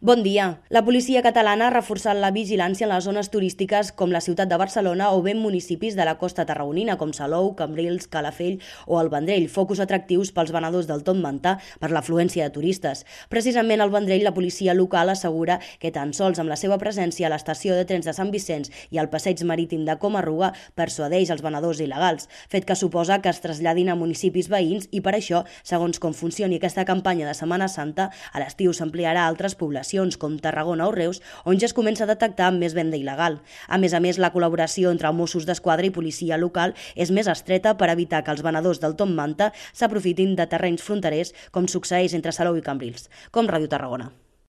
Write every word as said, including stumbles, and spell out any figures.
Bon dia. La policia catalana ha reforçat la vigilància en les zones turístiques com la ciutat de Barcelona o bé en municipis de la costa tarragonina com Salou, Cambrils, Calafell o el Vendrell, focus atractius pels venedors del Tom Mantà per l'afluència de turistes. Precisament al Vendrell la policia local assegura que tan sols amb la seva presència a l'estació de trens de Sant Vicenç i al passeig marítim de Coma-ruga persuadeix els venedors il·legals, fet que suposa que es traslladin a municipis veïns i per això, segons com funcioni aquesta campanya de Setmana Santa, a l'estiu s'ampliarà a altres poblacions com Tarragona o Reus, on ja es comença a detectar més venda il·legal. A més a més, la col·laboració entre Mossos d'Esquadra i policia local és més estreta per evitar que els venedors del Tom Mantà s'aprofitin de terrenys fronterers com succeeix entre Salou i Cambrils. Com Ràdio Tarragona.